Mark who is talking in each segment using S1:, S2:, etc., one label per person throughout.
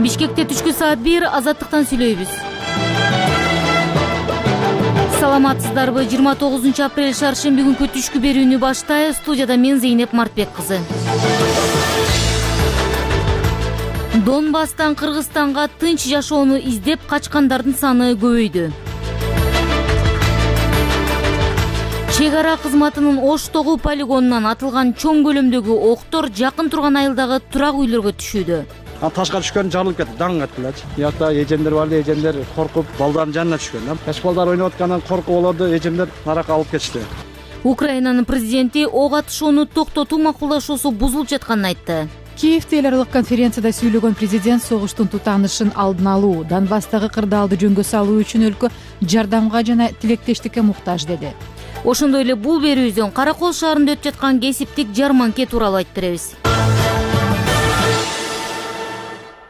S1: Бишкекте түшкү саат 1 азаттыктан сүйлөйбүз. Саламатсыздарбы? 29 апрель шаршемби күнкү түшкү берүүнү баштайбыз. Студияда мен Зейнеп Мартбек кызы. Донбасстан Кыргызстанга тынч жашоону издеп качкандардын саны көбөйдү. Чек ара кызматынын Оштогу полигонунан атылган чоң көлөмдөгү октор жакын турган айылдагы турак үйлөргө түшүүдө.
S2: Ташка түшкөн жарылып кетти, даң каттылачы. Биякта эжемдер бар, эжемдер коркуп, балдардын жанына түшкөн. Жаш балдар ойноп аткандан коркуп болду, эжемдер наракка алып кетишти.
S1: Украинанын президенти ок атышууну токтотуу макулдашуусу бузулуп жатканын айтты.
S3: Киевде эл аралык конференцияда сүйлөгөн президент согуштун тутанышын алдын алуу, Донбасстагы кырдаалды жөнгө салуу үчүн өлкө жардамга жана тилектештикке муктаж деди.
S1: Ошондой эле бул берүүбүздөн Каракол шаарында өтүп жаткан кесиптик жарманке тууралуу айтып беребиз.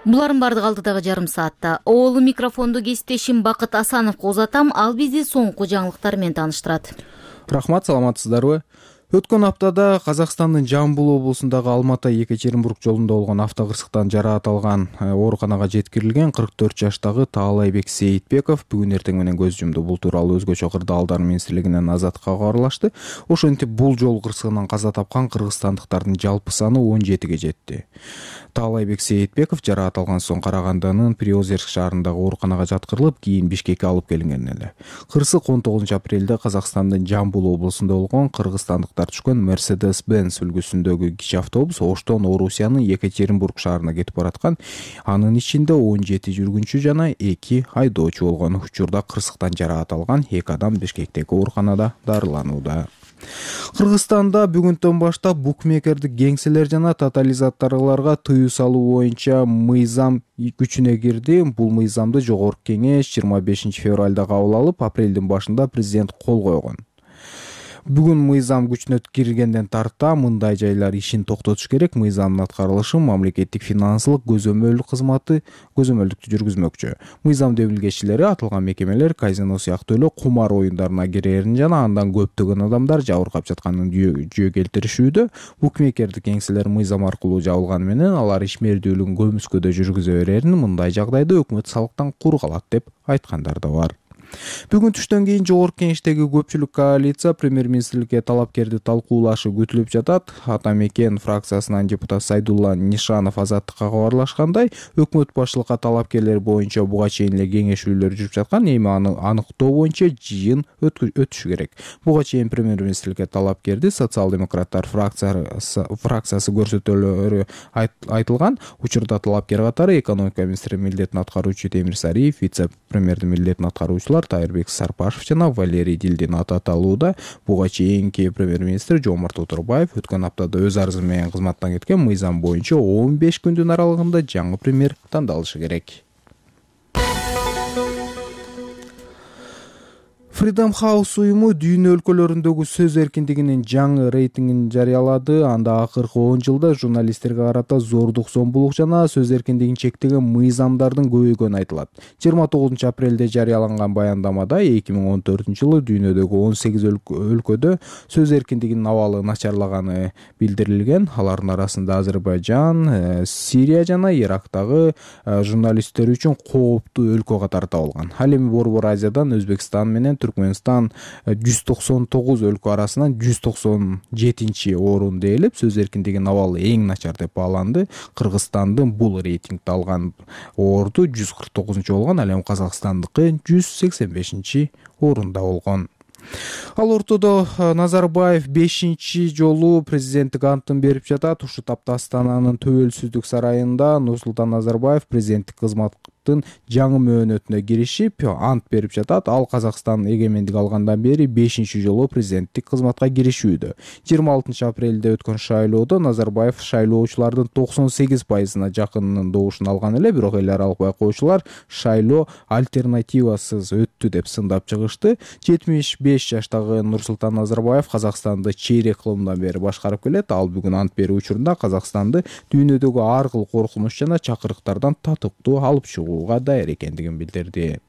S1: Булардын бардыгы алдыдагы жарым саатта. Оолу микрофонду кесиптешим Бакыт Асановго узатам, ал бизди соңку жаңылыктар менен тааныштырат.
S4: Рахмат, саламатсыздарбы? Өткөн аптада Казакстандын Жамбыл облусундагы Алматы-Екатеринбург жолунда болгон автокырсыктан жараат алган ооруканага жеткирилген 44 жаштагы Таалайбек Сейитбеков бүгүн эртең менен көз жумду. Бул тууралуу өзгөчө кырдаалдар министрлигинен Азаттыкка кабарлашты. Ошентип бул жол кырсыгынан каза тапкан кыргызстандыктардын жалпы саны 17ге жетти. Таалайбек Сейитбеков жараат алган соң Карагандынын Приозерск шаарындагы ооруканага жаткырылып, кийин Бишкекке алып келинген эле. Кырсык 19 апрелде Казакстандын Жамбыл облусунда болгон кыргызстандыктар түшкөн Mercedes-Benz үлгүсүндөгү кичи автобус Оштон Орусиянын Екатеринбург шаарына кетип бараткан. Анын ичинде 17 жүргүнчү жана 2 айдоочу болгон. Учурда кырсыктан жараат алган 2 адам Бишкектеги ооруканада дарыланууда. Кыргызстанда бүгүндөн баштап букмекердик кеңселер жана тотализаторлорго тыюу салуу боюнча мыйзам күчүнө кирди. Бул мыйзамды Жогорку кеңеш 25 февралда кабыл алып, апрелдин башында президент кол койгон. Бүгүн мыйзам күчүнө киргенден тарта мындай жайлар ишин токтотуш керек. Мыйзамдын аткарылышын мамлекеттик финансылык көзөмөлдүк кызматы көзөмөлдүктү жүргүзмөкчү. Мыйзам демилгечилери атылган мекемелер казино сыяктуу эле кумар оюндарына кирерин жана андан көптөгөн адамдар жабыркап жатканын жөө келтиришүүдө. Букмекердик кеңселер мыйзам аркылуу жабылганы менен алар ишмердүүлүгүн көмүскөдө жүргүзө берерин, мындай жагдайда өкмөт салыктан кур калат деп айткандар да бар. Бүгүн түштөн кийин Жогорку кеңештеги көпчүлүк коалиция премьер-министрликке талапкерди талкуулашы күтүлүп жатат. Атамекен фракциясынан депутат Сайдулла Нишанов Азаттыкка кабарлашкандай, өкмөт башчылыкка талапкерлер боюнча буга чейин эле кеңешүүлөр жүрүп жаткан, эми аны аныктоо боюнча жыйын өтүшү керек. Буга чейин премьер-министрликке талапкерди социал-демократтар фракциясы көрсөтөлөрү айтылган. Учурда талапкер катары экономика министри милдетин аткаруучу Темир Сариев, вице-премьердин милдетин аткаруучулар Тайырбек Сарпашев жана Валерий Дилдин аталууда. Буга чейинки премьер-министр Жомарт Отурбаев өткөн аптада өз арызы менен кызматтан кеткен. Мыйзам боюнча 15 күндүн аралыгында жаңы премьер тандалышы керек. Freedom House уюму дүйнө өлкөлөрүндөгү сөз эркиндигинин жаңы рейтингин жарыялады. Анда акыркы 10 жылда журналисттерге карата зордук, зомбулук жана сөз эркиндигин чектеген мыйзамдардын көбөйгөнү айтылат. 29 апрелде жарыяланган баяндамада 2014-жылы дүйнөдөгү 18 өлкөдө сөз эркиндигинин абалы начарлаганы билдирилген. Алардын арасында Азербайжан, Сирия жана Ирактагы журналисттер үчүн кооптуу өлкө катары табылган. Ал эми Борбор Азиядан Өзбекстан менен Түркмөнстан 199 өлкө арасынан 197-орунда ээлеп, сөз эркиндигинин абалы эң начар деп бааланды. Кыргызстандын бул рейтингде алган орду 149 болгон, ал эми Казакстандыкы 185-орунда болгон. Ал ортодо Назарбаев 5-чи жолу президенттик антын берип жатат. Ушул тапта Астананын Төбөлсүздүк сарайында Нурсултан Назарбаев президенттик кызматтын жаңы мөөнөтүнө киришип ант берип жатат. Ал Казакстан эгемендик алгандан бери 5-чи жолу президенттик кызматка киришүүдө. 26 апрелде өткөн шайлоодо Назарбаев шайлоочулардын 98%-на жакынынын добушун алган эле, бирок эл аралык байкоочулар шайлоо альтернативасыз өттү деп сындап чыгышты. 75 жаштагы Нурсултан Назарбаев Казакстанды чейрек кылымдан бери башкарып келет. Ал бүгүн ант берүү учурунда Казакстанды дүйнөдөгү ар кыл коркунуч жана чакырыктардан татыктуу алып чыгууга даяр экендигин билдирди.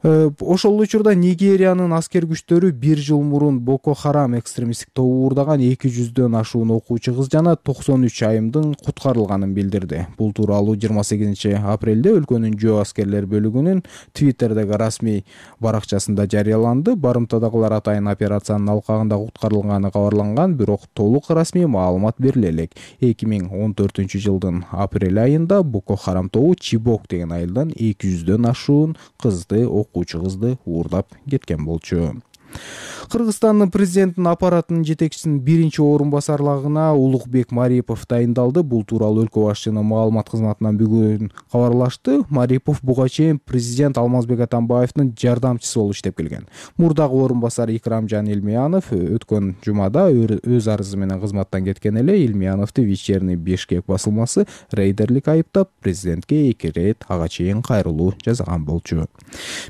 S4: Ошол учурда Нигериянын аскер күчтөрү 1 жыл мурун Боко Харам экстремисттик тобу уурдаган 200дөн ашуун окуучу кыз жана 93 айымдын куткарылганын билдирди. Бул тууралуу 28 апрелде өлкөнүн жөө аскерлер бөлүгүнүн Твиттердеги расмий баракчасында жарыяланды. Барымтадагылар атайын операциянын алкагында куткарылганы кабарланган, бирок толук расмий маалымат бериле элек. 2014-жылдын апрель айында Боко Харам тобу Чибок деген айылдан 200дөн ашуун окуучу кызды уурдап кеткен болчу. Кыргызстандын президентинин аппаратынын жетекчисинин биринчи орун басарлыгына Улукбек Марипов дайындалды. Бул тууралуу өлкө башчынын маалымат кызматынан бүгүн кабарлашты. Марипов буга чейин президент Алмазбек Атамбаевдин жардамчысы болуп иштеп келген. Мурдагы орун басар Икрамжан Илмиянов өткөн жумада өз арызы менен кызматтан кеткен эле. Илмияновду Вечерний Бишкек басылмасы рейдерлик айыптап, президентке 2 рет ага чейин кайрылуу жасаган болчу.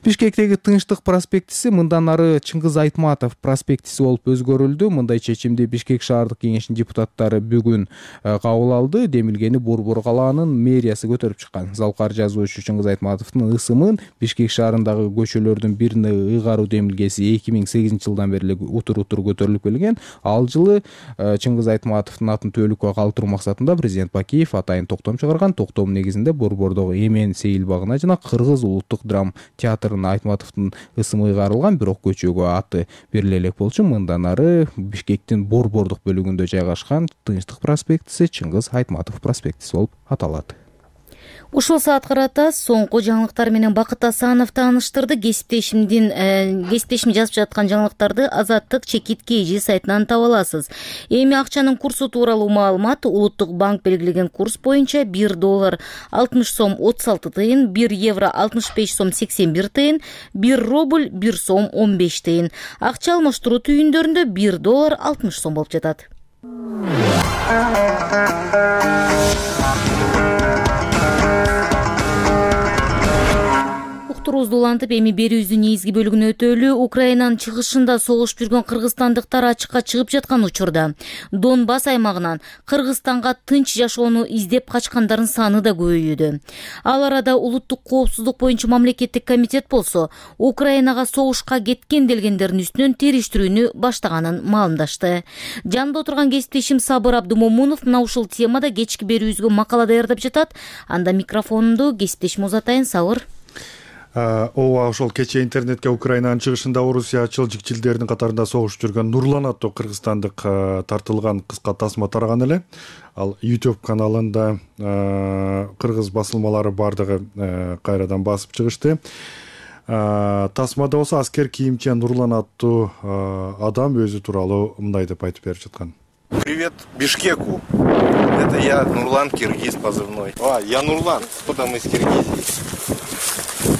S4: Бишкектеги Тынчтык проспектиси мындан ары Чыңгыз Айтматов проспектиси болуп өзгөрүлдү. Мындай чечимди Бишкек шаардык кеңешинин депутаттары бүгүн кабыл алды. Демилгени Борбор калаанын мэриясы көтөрүп чыккан. Залкар жазуучу Чыңгыз Айтматовдун ысымын Бишкек шаарындагы көчөлөрдүн бирине ыйгаруу демилгеси 2008-жылдан бери утур көтөрүлүп келген. Ал жылы Чыңгыз Айтматовдун атын төөлүккө калтыруу максатында президент Бакиев атайын токтом чыгарган. Токтом негизинде Борбордогу Эмен сейил багына жана Кыргыз улуттук драма театрына Айтматовдун ысымы ыйгарылган, бирок көчөгө аты бериле элек болчу. Мындан ары Бишкектин Борбордук бөлүгүндө жайгашкан Тынчтык проспектиси Чыңгыз Айтматов проспектиси болуп аталат.
S1: Ушул саат карата соңку жаңылыктар менен Бакыт Асанов тааныштырды. Кесиптешим жазып жаткан жаңылыктарды Азаттык чекит KG сайтынан таба аласыз. Эми акчанын курсу тууралуу маалымат: Улуттук банк белгилеген курс боюнча $1 60 сом 36 тыйын, €1 65 сом 81 тыйын, $1 1 сом 15 тыйын. Акча алмаштыруу түйүндөрүндө $1 60 сом болуп жатат. Уктуруубузду улантып, эми берүүбүздүн негизги бөлүгүнө өтөлү. Украинанын чыгышында согушуп жүргөн кыргызстандыктар ачыкка чыгып жаткан учурда Донбасс аймагынан Кыргызстанга тынч жашоону издеп качкандардын саны да көбөйүүдө. Ал арада улуттук коопсуздук боюнча мамлекеттик комитет болсо Украинага согушка кеткен делгендердин үстүнөн териштирүүнү баштаганын маалымдашты. Жанында отурган кесиптешим Сабыр Абдумомунов мына ушул темада кечки берүүбүзгө макала даярдап жатат. Анда микрофонду кесиптешим узатайын. Сабыр.
S5: Ооба, ошол кечээ интернетке Украинанын чыгышында орусиячыл жикчилдердин катарында согушуп жүргөн Нурлан аттуу кыргызстандык тартылган кыска тасма тараган эле. Ал YouTube каналында кыргыз басылмалары бардыгы кайрадан басып чыгышты. Тасмада болсо аскер кийимчен Нурлан аттуу адам өзү тууралуу мындай деп айтып берип жаткан.
S6: Привет Бишкеку. Это я, Нурлан, киргиз позывной. Я Нурлан, кто-то мы из Киргизии.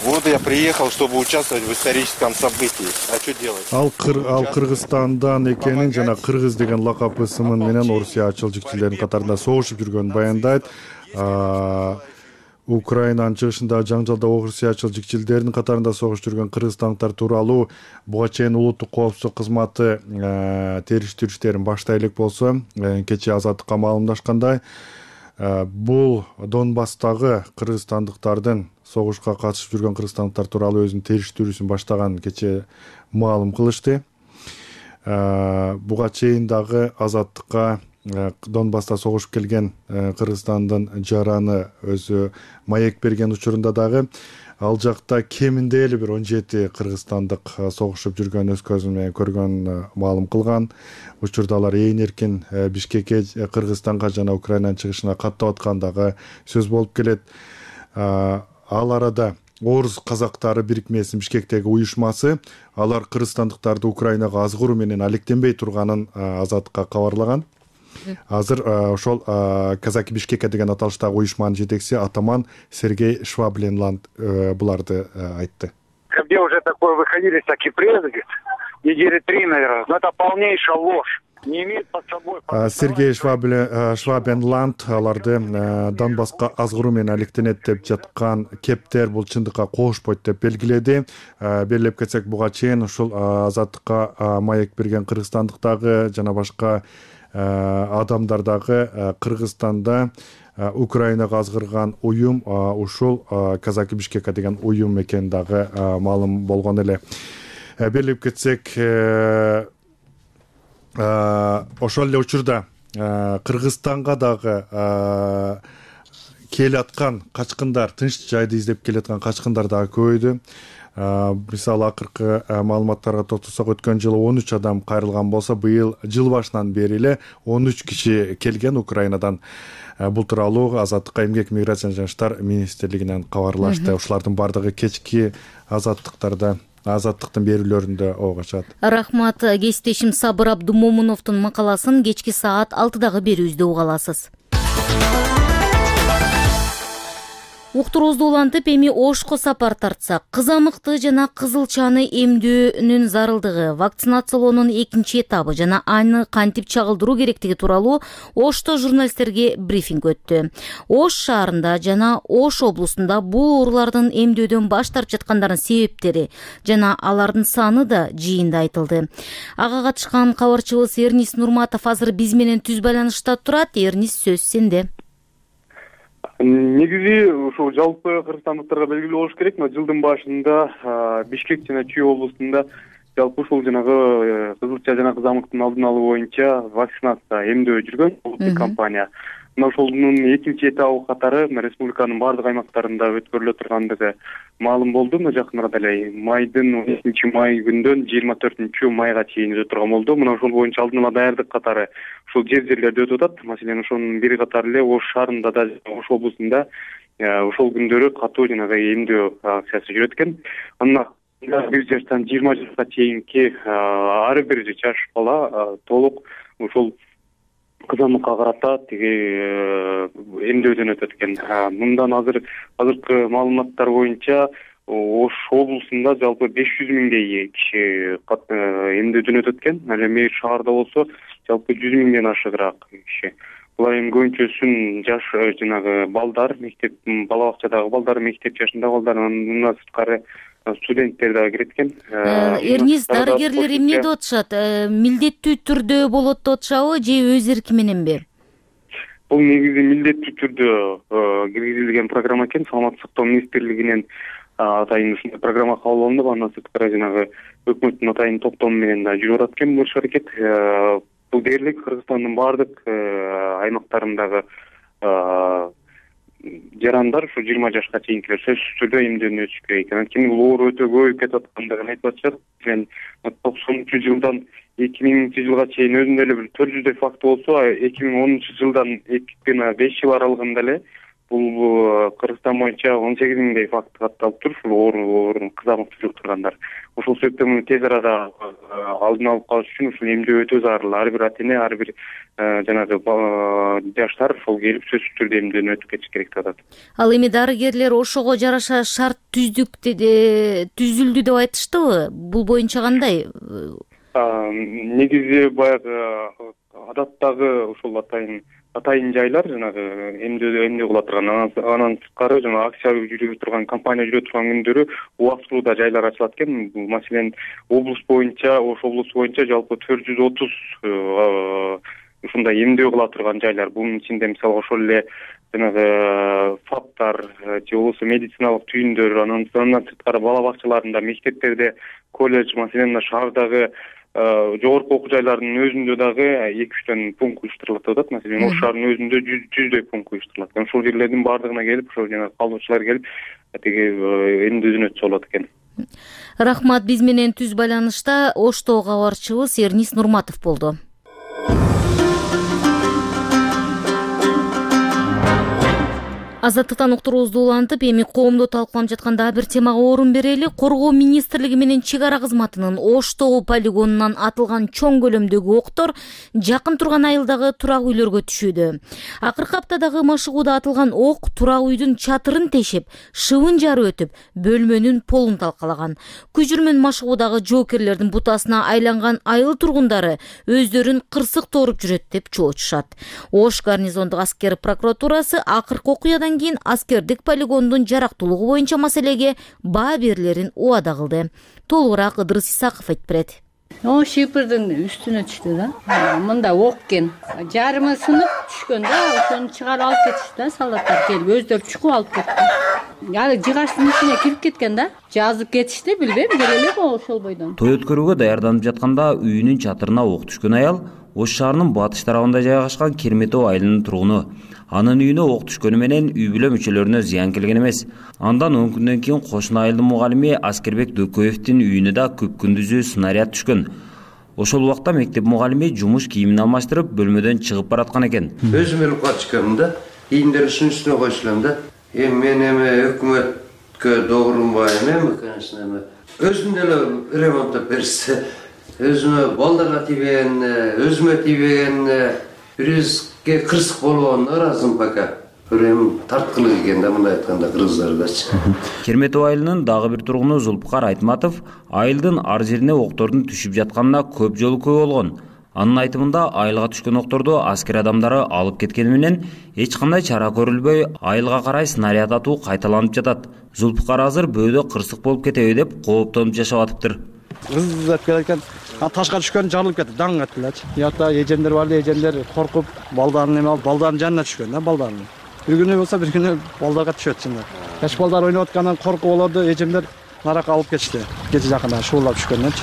S6: Вот я приехал, чтобы участвовать в историческом событии. А что делать?
S5: Ал Кыргызстандан экенин жана кыргыз деген лакап ысымын менен орусиячыл жикчилердин катарында согушуп жүргөнүн баяндайт. Украинанын чыгышында жаңжалда орусиячыл жикчилдердин катарында согушуп жүргөн кыргызстандыктар тууралуу буга чейин улуттук коопсуздук кызматы териштирүү баштай элек болсо, кечээ Азаттыкка маалымдашкандай, бул Донбасстагы кыргызстандыктардын согушка катышып жүргөн кыргызстандыктар тууралуу өзүнүн териштирүүсүн баштаган кечээ маалым кылышты. Буга чейин дагы Азаттыкка Донбасста согушуп келген Кыргызстандын жараны өзү маек берген учурунда дагы ал жакта кеминде эле бир 17 кыргызстандык согушуп жүргөн өз көзү менен көргөн маалым кылган. Учурда алар ээн эркин Бишкекке, Кыргызстанга жана Украинанын чыгышына каттап аткандагы сөз болуп келет. Ал арада Орус казактары бирикмесинин Бишкектеги уюшмасы алар кыргызстандыктарды Украинага азгыруу менен алектенбей турганын Азаттыкка кабарлаган. Азыр ошол Казаки Бишкека деген аталыштагы уюшманын жетекчиси атаман Сергей Швабленланд буларды айтты.
S7: Где уже такое выходили всякие прессы, недели 3, наверное, но это полнейшая ложь.
S5: Сергей Швабленланд аларды Донбасска азгыруу менен алектенет деп жаткан кептер бул чындыкка кошпойт деп белгиледи. Белгилеп кетсек, буга чейин ушул Азаттыкка маек берген кыргызстандыктагы жана башка адамдар дагы Кыргызстанда Украинага азгырган уюм ушул Казаки Бишкека деген уюм экени дагы маалым болгон эле. Белгилеп кетсек, ошол эле учурда Кыргызстанга дагы келаткан качкындар, тынч жайды издеп келаткан качкындар дагы көбөйдү. Мисалы акыркы маалыматтарга токтосок, өткөн жылы 13 адам кайрылган болсо, быйыл жыл башынан бери эле 13 киши келген Украинадан. Бул тууралуу Азаттыкка эмгек миграция жана иштер министрлигинен кабарлашты. Ушулардын бардыгы кечки азаттыктын берүүлөрүндө ого чыгат.
S1: Рахмат. Кесиптешим Сабыр Абдумомуновдун макаласын кечки саат 6-дагы берүүбүздө уга аласыз. Уктуруубузду улантып, эми Ошко сапар тартсак, кызамыкты жана кызылчаны эмдөөнүн зарылдыгы, вакцинациялоонун экинчи этабы жана аны кантип чагылдыруу керектиги тууралуу Ошто журналисттерге брифинг өттү. Ош шаарында жана Ош облусунда бул оорулардын эмдөөдөн баш тартып жаткандардын себептери жана алардын саны да жыйында айтылды. Ага катышкан кабарчыбыз Эрнис Нурматов азыр биз менен түз байланышта турат. Эрнис, сөз сенде.
S8: Негизи ушул жалпы кыргызстандыктарга белгилүү болуш керек, мына жылдын башында Бишкек жана Чүй облусунда жалпы ушул жанагы кызылча жана кызамыктын алдын алуу боюнча вакцинация эмдөө жүргөн улуттук компания. Мына ошонун экинчи этабы катары республиканын бардык аймактарында өткөрүлө тургандыгы маалым болду. Мына жакын арада эле майдын 12 май күндөн 24 майга чейин өтө турган болду. Мына ошол боюнча алдын ала даярдык катары ушул жерлерде өтүп атат. Маселен, ошонун бири катары эле Ош шаарында да, Ош облусунда ошол күндөрү катуу жанагы эмдөө акциясы жүрөт экен. Анда 1 жаштан 20 жашка чейинки ар бир жаш бала толук ушул кызамыкка карата тиги эмдөөдөн өтөт экен. Мындан азыркы маалыматтар боюнча Ош облусунда жалпы 500 миңдей киши эмдөөдөн өтөт экен. Ал эми шаарда болсо жалпы 100 миңден ашыгыраак киши. Булар эми көбүнчөсүн жаш жанагы балдар, мектеп, бала бакчадагы балдар, мектеп жашындагы балдар, андан сырткары студенттер дагы кирет экен.
S1: Эрнис, дарыгерлер эмне деп атышат? Милдеттүү түрдө болот деп атышабы же өз эрки мененби?
S8: Бул негизи милдеттүү түрдө киргизилген программа экен. Саламаттык сактоо министрлигинен атайын ушундай программа кабыл алынып, андан сырткары жанагы өкмөттүн атайын токтому менен да жүрүп атат экен бул аракет. Бул дээрлик Кыргызстандын бардык аймактарындагы жарандар ушу 20 жашка чейинкилер сөзсүз түрдө эмдөөдөн өтүш керек экен. Анткени бул оору өтө көбөйүп кетип аткандыгын айтып атышат. Мен 90-жылдан 2000-жылга чейин өзүндө эле бир 400 факт болсо, 2010-жылдан 2-5 жыл аралыгында эле бул Кыргызстан боюнча 18 миңдей факт катталып тур, ушул оору кызамыкты жуктургандар. Ошол себептен муну тез арада алдын алып калыш үчүн ушул эмдөө өтө зарыл. Ар бир ата-эне, ар бир жанагы жаштар ошол келип сөзсүз түрдө эмдөөдөн өтүп кетиш керек деп атат.
S1: Ал эми дарыгерлер ошого жараша шарт түзүлдү деп айтыштыбы? Бул боюнча кандай?
S8: Негизи баягы адаттагы ушул атайын жайлар жанагы эмдөө кыла турган, анан сырткары жана акция жүрүп турган, компания жүрүп турган күндөрү убактылуу да жайлар ачылат экен. Маселен, облус боюнча, Ош облусу боюнча жалпы 430 ушундай эмдөө кыла турган жайлар. Бунун ичинде мисалы ошол эле жанагы фаптар же болбосо медициналык түйүндөр, андан сырткары бала бакчаларында, мектептерде, колледж, маселен шаардагы жогорку окуу жайларынын өзүндө дагы 2-3 пункт уюштурулат деп атат. Маселен, Ош шаарынын өзүндө 100 пункт уюштурулат. Ошол жерлердин бардыгына келип, ошол жана калуучулар келип, тиги эмдөөдөн өтсө болот экен.
S1: Рахмат. Биз менен түз байланышта Ошто кабарчыбыз Эрнис Нурматов болду. Азаттыктан уктуруубузду улантып, эми коомдо талкууланып жаткан дагы бир темага орун берели. Коргоо министрлиги менен чек ара кызматынын Оштогу полигонунан атылган чоң көлөмдөгү октор жакын турган айылдагы турак үйлөргө түшүүдө. Акыркы аптадагы машыгууда атылган ок турак үйдүн чатырын тешип, шыбын жарып өтүп, бөлмөнүн полун талкалаган. Күжүрмөн машыгуудагы жоокерлердин бутасына айланган айыл тургундары өздөрүн кырсык тооруп жүрөт деп чоочушат. Ош гарнизондук аскер прокуратурасы акыркы окуядан кийин аскердик полигондун жарактуулугу боюнча маселеге баа берилерин убада кылды. Толугураак Ыдырыс Исаков айтып берет.
S9: Шипирдин үстүнө түштү да. Мында ок экен. Жарымы сынып түшкөн да, ошону чыгарып алып кетишти да, солдаттар келип өздөрү чукуп алып кетти. Аны жыгачтын ичине кирип кеткен да. Жазып кетишти, билбейм, келе элек ошол бойдон.
S10: Той өткөрүүгө даярданып жатканда үйүнүн чатырына ок түшкөн аял Ош шаарынын батыш тарабында жайгашкан Керметов айылынын тургуну. Анын үйүнө ок түшкөнү менен үй бүлө мүчөлөрүнө зыян келген эмес. Андан 10 күндөн кийин кошуна айылдын мугалими Аскербек Дөкөевдин үйүнө да күп күндүзү снаряд түшкөн. Ошол убакта мектеп мугалими жумуш кийимин алмаштырып бөлмөдөн чыгып бараткан экен.
S11: Өзүм эле качкам да, кийимдерин үстүнө койчулам да. Мен өкмөткө догурунбайм эми, конечно, өзүм деле ремонттоп берсе, өзүмө балдарга тийбеген, өзүмө тийбеген, бирибизге кырсык болгонуна ыраазымын пока. Эми тарткылык экен да, мындай айтканда кыргыздардачы.
S10: Керметов айылынын дагы бир тургуну Зулпукар Айтматов айылдын ар жерине октордун түшүп жатканына көп жолу күбө болгон. Анын айтымында айылга түшкөн окторду аскер адамдары алып кеткени менен эч кандай чара көрүлбөй, айылга карай снаряд атуу кайталанып жатат. Зулпукар азыр бөөдө кырсык болуп кетеби деп кооптонуп жашап атыптыр.
S2: Ызып келекен, ташка түшкөн жарылып кетти, даң кетти элечи. Ята эжендер бар, эжендер коркуп, балдарын эме алып, балдарын жанына түшкөн да, балдарын. Bir günü olsa bir günü baldaga düşüyor şimdi. Yaş balдар oynayotgandan korku oldu, ejemler naraka alıp geçti. Gece jakında şuullap düşkөндөн.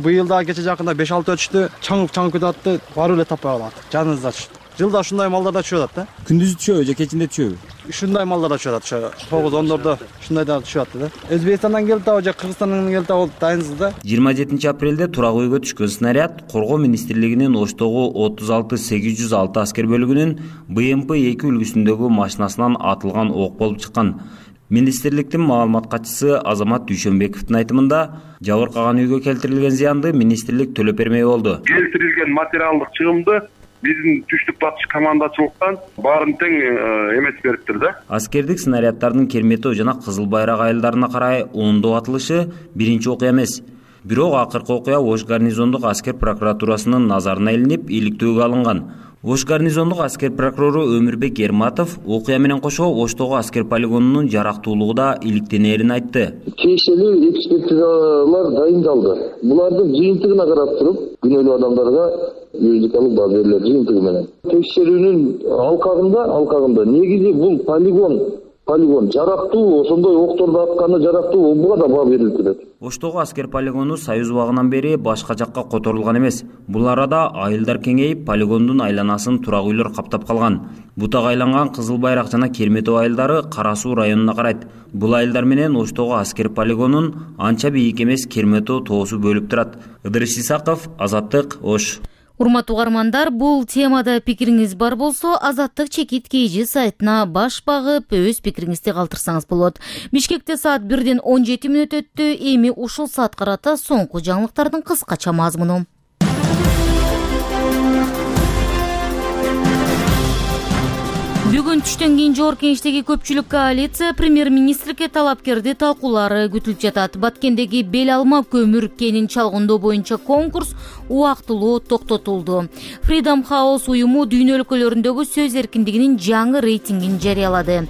S2: Bu yılda gece jakında 5-6 ötüştü, çаңып кетатты, баруу эле таппай калат. Жаныңызда түштү. Жылда ушундай малдар да түшүп атат да.
S12: Күндүзү түшөбү же кечинде түшөбү?
S2: Ушундай малдар да түшүп атат. 9-10дордо ушундай да түшүп атты да. Өзбекстандан келип табы же Кыргызстандан келип табы дайынсыз да.
S10: 27 апрелде турак үйгө түшкөн снаряд Коргоо министрлигинин Оштогу 36-806 аскер бөлүгүнүн БМП-2 үлгүсүндөгү машинасынан атылган ок болуп чыккан. Министрликтин маалымат катчысы Азамат Дүйшөнбековдун айтымында жабыркаган үйгө келтирилген зыянды министрлик төлөп бермей болду.
S13: Келтирилген материалдык чыгымды биздин түштүк батыш командачылыктан баарын тең эметип бериптир да.
S10: Аскердик снаряддардын Керметов жана Кызыл Байрак айылдарына карай ондоо атылышы биринчи окуя эмес. Бирок акыркы окуя Ош гарнизондук аскер прокуратурасынын назарына илинип, иликтөөгө алынган. Ош гарнизондук аскер прокурору Өмүрбек Эрматов окуя менен кошо Оштогу аскер полигонунун жарактуулугу да иликтенерин айтты.
S14: Тиешелүү экспертизалар дайындалды. Булардын жыйынтыгына карап туруп, күнөөлүү адамдарга юридикалык баа берилет жыйынтыгы менен. Текшерүүнүн алкагында негизи бул полигон жарактуу, ошондой окторду атканы жарактуу, буга да баа берилет.
S10: Оштогу аскер полигону Союз убагынан бери башка жакка которулган эмес. Бул арада айылдар кеңейип, полигондун айланасын турак үйлөр каптап калган. Бутак айланган Кызыл Байрак жана Керметов айылдары Кара Суу районуна карайт. Бул айылдар менен Оштогу аскер полигонун анча бийик эмес Керметов тоосу бөлүп турат. Ыдырыш Исаков, Азаттык, Ош.
S1: Урматтуу угармандар, бул темада пикириңиз бар болсо, Азаттык чекит KG сайтына баш багып, өз пикириңизди калтырсаңыз болот. Бишкекте саат 1-ден 17 мүнөт өттү. Эми ушул саат карата соңку жаңылыктардын кыскача мазмуну. Бүгүн түштөн кийин жогорку кеңештеги көпчүлүк коалиция премьер-министрге талапкерди талкуулары күтүлүп жатат. Баткендеги бел алма көмүр кенин чалгындоо боюнча конкурс убактылуу токтотулду. Freedom House уюму дүйнө өлкөлөрүндөгү сөз эркиндигинин жаңы рейтингин жарыялады.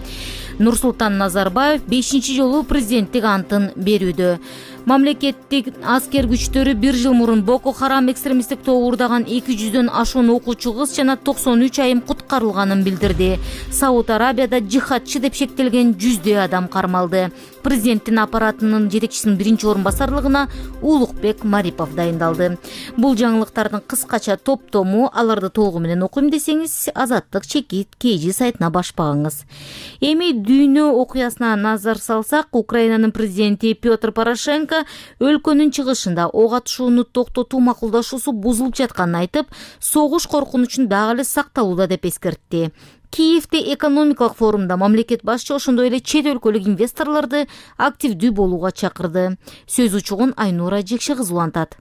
S1: Нурсултан Назарбаев 5-чи жолу президенттик антын берүүдө. Мамлекеттик аскер күчтөрү 1 жыл мурун Боко Харам экстремисттик тобу уурдаган 200дөн ашуун окуучу кыз жана 93 айым куткарылганын билдирди. Сауд Арабияда жихадчы деп шектелген 100дөй адам кармалды. Президенттин аппаратынын жетекчисинин биринчи орун басарлыгына Улукбек Марипов дайындалды. Бул жаңылыктардын кыскача топтому, аларды толугу менен окуйм десеңиз, Азаттык чекит KG сайтына баш багыңыз. Эми дүйнө окуясына назар салсак, Украинанын президенти Петр Порошенко өлкөнүн чыгышында ок атышууну токтотуу макулдашуусу бузулуп жатканын айтып, согуш коркунучун дагы эле сакталууда деп эскертти. Киевде экономикалык форумда мамлекет башчы ошондой эле чет өлкөлүк инвесторлорду активдүү болууга чакырды. Сөз учугун Айнура Жекше кызы улантат.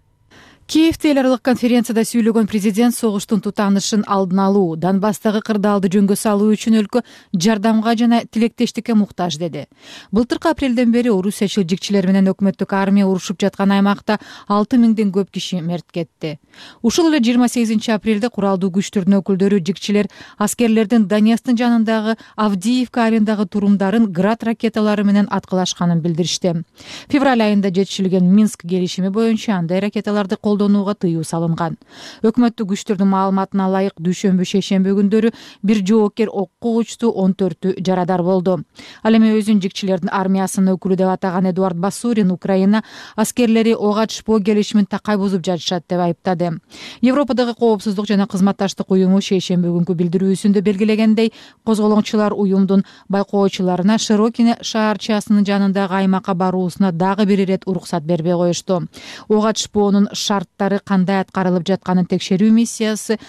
S3: Киевде эл аралык конференцияда сүйлөгөн президент согуштун тутанышын алдын алуу, Донбасстагы кырдаалды жөнгө салуу үчүн өлкө жардамга жана тилектештикке муктаж деди. Былтыркы апрелден бери орусиячыл жигчилер менен өкмөттүк армия урушуп жаткан аймакта 6000ден көп киши мерт кетти. Ушул эле 28 апрелде куралдуу күчтөрдүн өкүлдөрү жигчилер аскерлердин Донецктин жанындагы Авдиевка айылындагы турумдарын град ракеталары менен аткылашканын билдиришти. Февраль айында жетишилген Минск келишими боюнча андай ракеталарды колдонууга тыюу салынган. Өкмөттүк күчтөрдүн маалыматына ылайык дүйшөмбү шейшемби күндөрү бир жоокер окко учту, 14-ү жарадар болду. Ал эми өзүн жигчилердин армиясынын өкүлү деп атаган Эдуард Басурин Украина аскерлери ок атышпоо келишимин такай бузуп жатышат деп айыптады. Европадагы коопсуздук жана кызматташтык уюму шейшемби күнкү билдирүүсүндө белгилегендей, козголоңчулар уюмдун байкоочуларына Широкине шаарчасынын жанындагы аймакка баруусуна дагы бир ирет уруксат бербей коюшту. Ок атышпоонун шарттары кандай аткарылып жатканын текшерүү миссиясы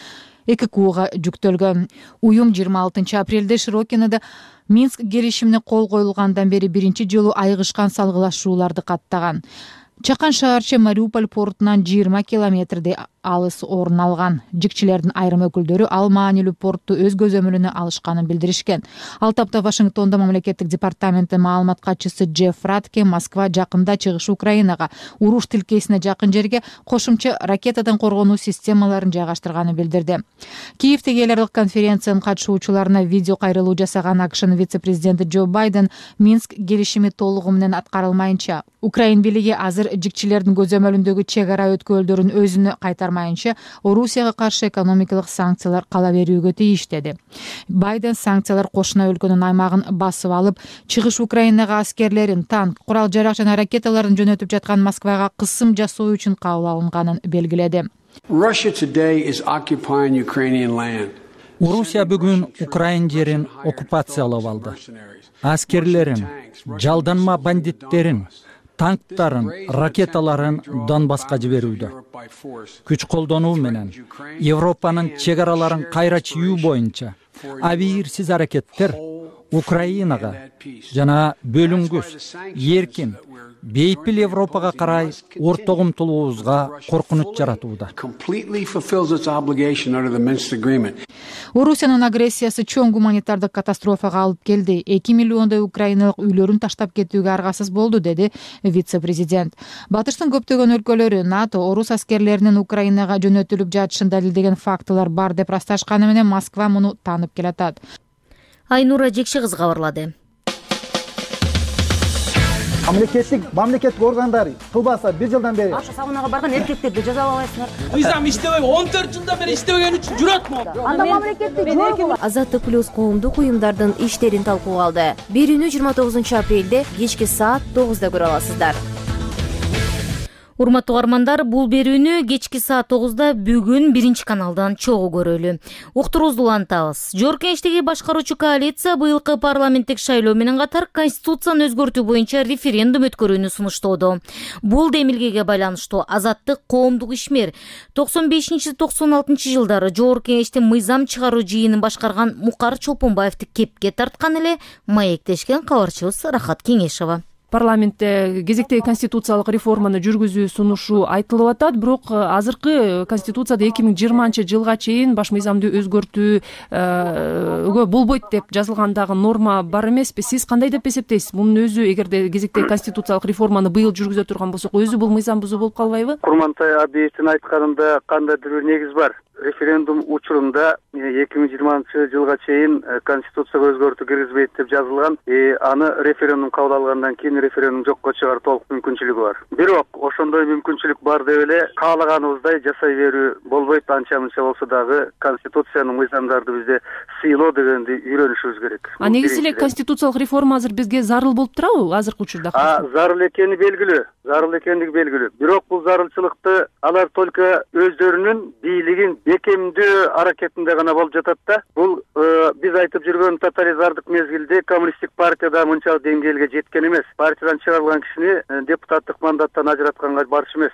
S3: ЭККУга жүктөлгөн. Уюм 26 апрелде Широкинеде Минск келишимине кол коюлгандан бери биринчи жолу айыгышкан салгылашууларды каттаган. Чакан шаарча Мариуполь портунан 20 километрдей алыс орун алган. Жигчилердин айрым өкүлдөрү ал маанилүү портту өз көзөмөлүнө алышканын билдиришкен. Ал тапта Вашингтондо мамлекеттик департаменттин маалымат катчысы Джефф Ратке Москва жакында чыгыш Украинага уруш тилкесине жакын жерге кошумча ракетадан коргонуу системаларын жайгаштырганын билдирди. Киевдеги эл аралык конференциянын катышуучуларына видео кайрылуу жасаган АКШнын вице-президенти Джо Байден Минск келишими толугу менен аткарылмайынча, Украин бийлиги азыр жигчилердин көзөмөлүндөгү чек ара өткөлдөрүн өзүнө кайтармайынча Орусияга каршы экономикалык санкциялар кала берүүгө тийиш деди. Байден санкциялар кошуна өлкөнүн аймагын басып алып, чыгыш Украинага аскерлерин, танк, курал-жарак жана ракеталарын жөнөтүп жаткан Москвага кысым жасоо үчүн кабыл алынганын белгиледи.
S12: Орусия бүгүн Украин жерин оккупациялап алды. Аскерлерин, жалданма бандиттерин, танктарын, ракеталарын Донбасска жиберүүдө. Күч колдонуу менен Европанын чек араларын кайра чийүү боюнча абийирсиз аракеттер Украинага жана бөлүнгүс, эркин, бейпил Европага карай ортого умтулуубузга коркунуч жаратууда.
S3: Орусиянын агрессиясы чоң гуманитардык катастрофага алып келди. 2 миллиондой украиналык үйлөрүн таштап кетүүгө аргасыз болду, деди вице-президент. Батыштын көптөгөн өлкөлөрү НАТО орус аскерлеринин Украинага жөнөтүлүп жатышын далилдеген фактылар бар деп ырасташканы менен Москва муну таанып келатат.
S1: Айнура Жекши кызы кабарлады.
S15: Мамлекеттик органдар кылбаса 1 жылдан бери
S16: Аша саунага барган эркектерди жазалабайсыңар.
S15: Мыйзам иштебей 14 жылдан бери иштебеген үчүн жүрөтмү?
S16: Анда мамлекеттик Азаттык плюс коомдук уюмдардын иштерин талкууга алды. Берүүнү 29 апрелде кечки саат 9-да көрө аласыздар.
S1: Урматтуу угармандар, бул берүүнү кечки саат 9-да бүгүн 1-каналдан чогуу көрөлү. Уктуруубузду улантабыз. Жогорку Кеңештеги башкаруучу коалиция быйылкы парламенттик шайлоо менен катар конституцияны өзгөртүү боюнча референдум өткөрүүнү сунуштоодо. Бул демилгеге байланыштуу Азаттык коомдук ишмер 95-96 жылдары Жогорку Кеңештин мыйзам чыгаруу жыйынын башкарган Мукар Чолпонбаевди кепке тарткан эле маектешкен кабарчыбыз Рахат Кеңешова.
S17: Парламентте кезектеги конституциялык реформаны жүргүзүү сунушу айтылып атат, бирок азыркы конституцияда 2020 жылга чейин баш мыйзамды өзгөртүүгө болбойт деп жазылгандагы норма бар эмеспи? Сиз кандай деп эсептейсиз? Мунун өзү эгерде кезектеги конституциялык реформаны быйыл жүргүзө турган болсок, өзү бул мыйзам бузуу болуп калбайбы?
S18: Курмантай Абиевдин айтканында кандайдыр бир негиз бар. Референдум учурунда 2020 жылга чейин конституцияга өзгөртүү киргизбейт деп жазылган. Аны референдум кабыл алгандан кийин референдум жокко чыгаруу толук мүмкүнчүлүгү бар. Бирок ошондой мүмкүнчүлүк бар деп эле каалаганыбыздай жасай берүү болбойт. Анча-мынча болсо дагы конституциянын мыйзамдарды бизде сыйлоо дегенди үйрөнүшүбүз керек.
S17: Негизи эле конституциялык реформа азыр бизге зарыл болуп турабы азыркы учурда?
S18: Зарыл экени белгилүү. Зарыл экендиги белгилүү. Бирок бул зарылчылыкты алар только өздөрүнүн бийлигин экемдүү аракетинде гана болуп жатат да. Бул биз айтып жүргөн тоталитардык мезгилде коммунисттик партияда мынчалык деңгээлге жеткен эмес. Партиядан чыгарылган кишини депутаттык мандаттан ажыратканга барчу эмес.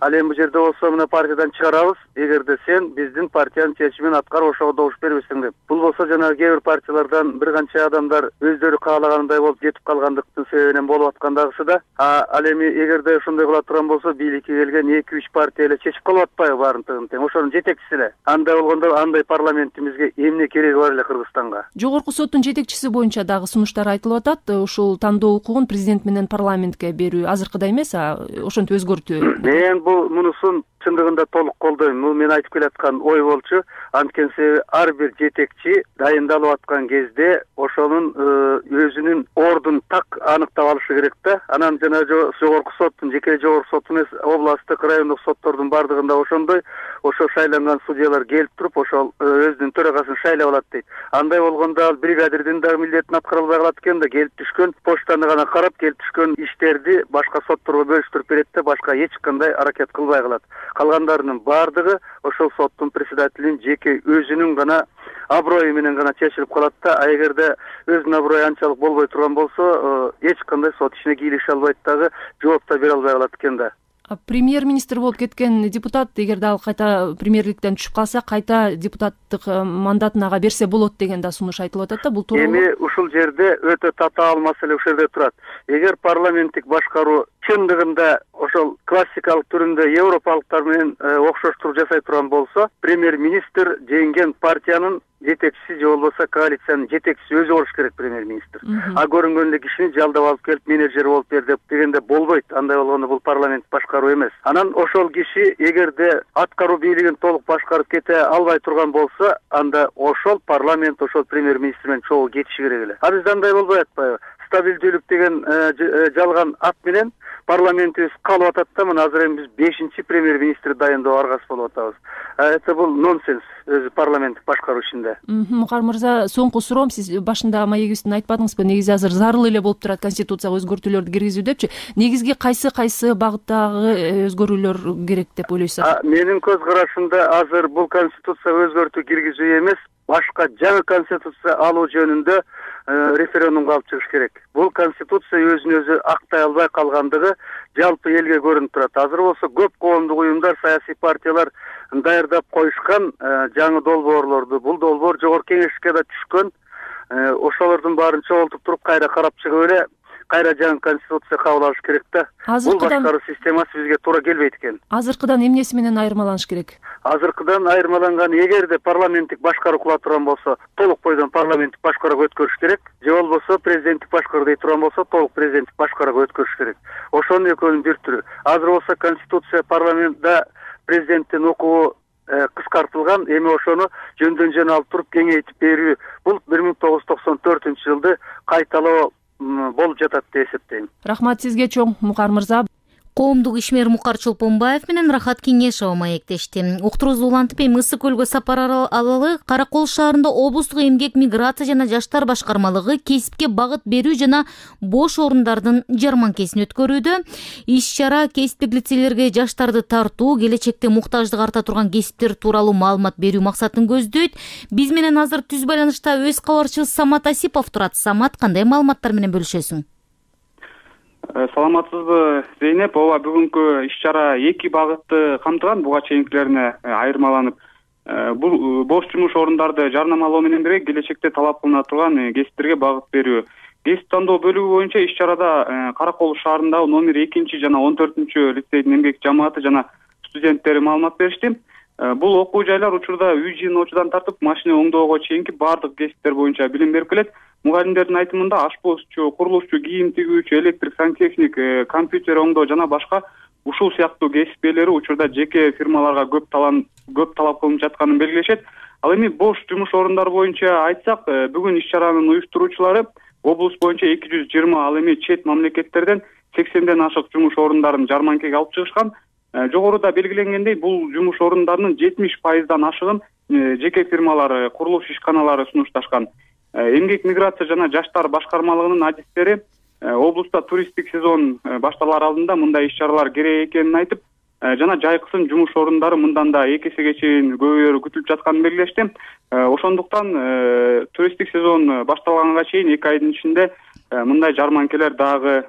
S18: Ал эми бул жерде болсо мына партиядан чыгарабыз, эгерде сен биздин партиянын чечимин аткарып ошого добуш бербесең деп. Бул болсо жанагы кээ бир партиялардан бир канча адамдар өздөрү каалагандай болуп жетип калгандыктын себебинен болуп аткан дагысы да. Ал эми эгерде ошондой кыла турган болсо бийликке келген 2-3 партия эле чечип калып атпайбы баарын тең? Ошонун жетекчиси эле. Андай болгондо андай парламентибизге эмне кереги бар эле Кыргызстанга?
S17: Жогорку соттун жетекчиси боюнча дагы сунуштар айтылып атат. Ушул тандоо укугун президент менен парламентке берүү азыркыдай эмес, ошентип өзгөртүү.
S18: Мен мунусун чындыгында толук колдойм. Бул мен айтып келаткан ой болчу. Анткени ар бир жетекчи дайындалып аткан кезде ошонун өзүнүн ордун так аныктап алышы керек да. Анан жана жогорку соттун, жеке жогорку соттун эмес, областтык, райондук соттордун бардыгында ошондой, ошо шайланган судьялар келип туруп, ошол өзүнүн төрагасын шайлап алат дейт. Андай болгондо ал бригадирдин дагы милдетин аткара албай калат экен да, келип түшкөн почтаны гана карап, келип түшкөн иштерди башка сотторго бөлүштүрүп берет да, башка эч кандай аракет кылбай калат. Калгандарынын бардыгы ошол соттун председателинин жеке өзүнүн гана аброю менен гана чечилип калат да. Эгерде өзүнүн аброю анчалык болбой турган болсо, эч кандай сот ишине кийлеше албайт дагы, жооп да бере албай калат экен да.
S17: Премьер-министр болуп кеткен депутат, эгерде ал кайта премьерликтен түшүп калса, кайта депутаттык мандатын ага берсе болот деген да сунуш айтылып атат да. Бул туура.
S18: Эми ушул жерде өтө татаал маселе ушул жерде турат. Эгер парламенттик башкаруу чындыгында ошол классикалык түрүндө европалыктар менен окшоштуруп жасай турган болсо, премьер-министр жеңген партиянын жетекчиси же болбосо коалициянын жетекчиси өзү болуш керек премьер-министр. Көрүнгөндө кишини жалдап алып келип менеджер болуп бер деп дегенде болбойт. Андай болгондо бул парламент башкаруу эмес. Анан ошол киши эгерде аткаруу бийлигин толук башкарып кете албай турган болсо, анда ошол парламент ошол премьер-министр менен чогуу кетиши керек эле. Бизде андай болбой атпайбы? Стабилдүүлүк деген жалган ат менен парламентибиз калып атат да. Мына азыр эми биз 5-чи премьер-министр дайындоо аргасы болуп атабыз. Это бул нонсенс өзү парламенттик башкаруу ишинде.
S17: Мукар мырза, соңку суроом, сиз башында маегибизде айтпадыңызбы, негизи азыр зарыл эле болуп турат конституцияга өзгөртүүлөрдү киргизүү депчи. Негизги кайсы багыттагы өзгөрүүлөр керек деп ойлойсуз?
S18: Менин көз карашымда азыр бул конституцияга өзгөртүү киргизүү эмес, башка жаңы конституция алуу жөнүндө референдумга алып чыгыш керек. Бул конституция өзүн өзү актай албай калгандыгы жалпы элге көрүнүп турат. Азыр болсо көп коомдук уюмдар, саясий партиялар даярдап коюшкан жаңы долбоорлорду. Бул долбоор жогорку кеңешке да түшкөн. Ошолордун баарын чогултуп туруп кайра карап чыгып эле кайра жаңы конституция кабыл алыш керек да. Бул башкаруу системасы бизге туура келбейт экен.
S17: Азыркыдан эмнеси менен айырмаланыш керек?
S18: Азыркыдан айырмаланган, эгерде парламенттик башкаруу кыла турган болсо, толук бойдон парламенттик башкарууга өткөрүш керек. Же болбосо президенттик башкаруу дей турган болсо, толук президенттик башкарууга өткөрүш керек. Ошонун экөөнүн бир түрү. Азыр болсо конституция парламентте президенттин укугу кыскартылган, эми ошону жөндөн жөн алып туруп кеңейтип берүү. Бул 1994-жылды кайталоо болуп жатат деп эсептейм.
S17: Рахмат сизге чоң, Мукар мырза.
S1: Коомдук ишмер Мукар Чолпонбаев менен Рахат Кеңешова маектешти. Уктурубузду улантып эми Ысык көлгө сапар алалы. Кара Кол шаарында облустук эмгек, миграция жана жаштар башкармалыгы кесипке багыт берүү жана бош орундардын жарманкесин өткөрүүдө. Иш-чара кесиптик лицейлерге жаштарды тартуу, келечекте муктаждык арта турган кесиптер тууралуу маалымат берүү максатын көздөйт. Биз менен азыр түз байланышта өз кабарчыбыз Самат Асипов турат. Самат, кандай маалыматтар менен бөлүшөсүң?
S19: Саламатсызбы, Зейнеп? Ооба, бүгүнкү иш-чара эки багытты камтыган, буга чейинкилерине айырмаланып. Бул бош жумуш орундарды жарнамалоо менен бирге келечекте талап кылына турган кесиптерге багыт берүү. Кесип тандоо бөлүгү боюнча иш-чарада Кара Кол шаарындагы номер 2 жана 14 лицейдин эмгек жамааты жана студенттери маалымат беришти. Бул окуу жайлар учурда үй жыйноочудан тартып машина оңдоого чейинки баардык кесиптер боюнча билим берип келет. Мугалимдердин айтымында ашпозчу, курулушчу, кийим тигүүчү, электрик сантехник, компьютер оңдоо жана башка ушул сыяктуу кесип ээлери учурда жеке фирмаларга көп талап кылынып жатканын белгилешет. Ал эми бош жумуш орундары боюнча айтсак, бүгүн иш-чаранын уюштуруучулары облус боюнча 220, ал эми чет мамлекеттерден 80ден ашык жумуш орундарын жарманкеге алып чыгышкан. Жогоруда белгиленгендей, бул жумуш орундарынын 70%дан ашыгын жеке фирмалар, курулуш ишканалары сунушташкан. Эмгек, миграция жана жаштар башкармалыгынын адистери облуста туристтик сезон башталар алдында мындай иш-чаралар керек экенин айтып, жана жайкысын жумуш орундары мындан да 2 эсеге чейин көбөйөрү күтүлүп жатканын белгилешти. Ошондуктан туристтик сезон башталганга чейин 2 айдын ичинде мындай жарманкелер дагы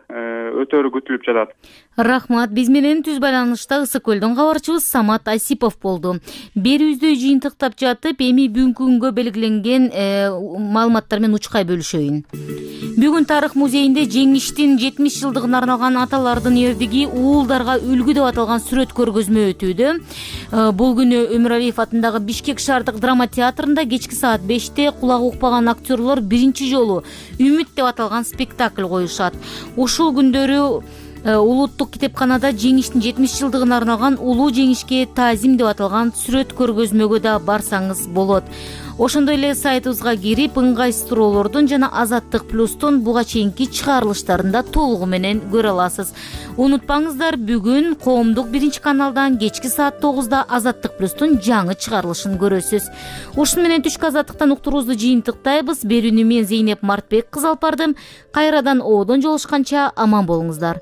S19: өтөрү күтүлүп жатат.
S1: Рахмат. Биз менен түз байланышта Ысык көлдөн кабарчыбыз Самат Асипов болду. Берүүбүздү жыйынтыктап жатып, эми бүгүнкү күнгө белгиленген маалыматтар менен учкай бөлүшөйүн. Бүгүн Тарых музейинде жеңиштин 70 жылдыгына арналган аталардын эрдиги уулдарга үлгү деп аталган сүрөт көргөзмө өтүүдө. Бул күнү Өмүралиев атындагы Бишкек шаардык драма театрында кечки саат 5-те кулагы укпаган актерлор биринчи жолу Үмүт деп аталган спектакль коюшат. Ушул күндөрү Улуттук китепканада жеңиштин 70 жылдыгына арналган Улуу жеңишке таазим деп аталган сүрөт көргөзмөгө да барсаңыз болот. Ошондой эле сайтыбызга кирип, ыңгайсыз туроолордун жана Азаттык плюстун буга чейинки чыгарылыштарында толугу менен көрө аласыз. Унутпаңыздар, бүгүн Коомдук 1-каналдан кечки саат 9-да Азаттык плюстун жаңы чыгарылышын көрөсүз. Ушуну менен түшкү Азаттыктан уктуруубузду жыйынтыктайбыз. Берүүнү мен Зейнеп Мартбек кызы алып бардым. Кайрадан оодон жолугушканча аман болуңуздар.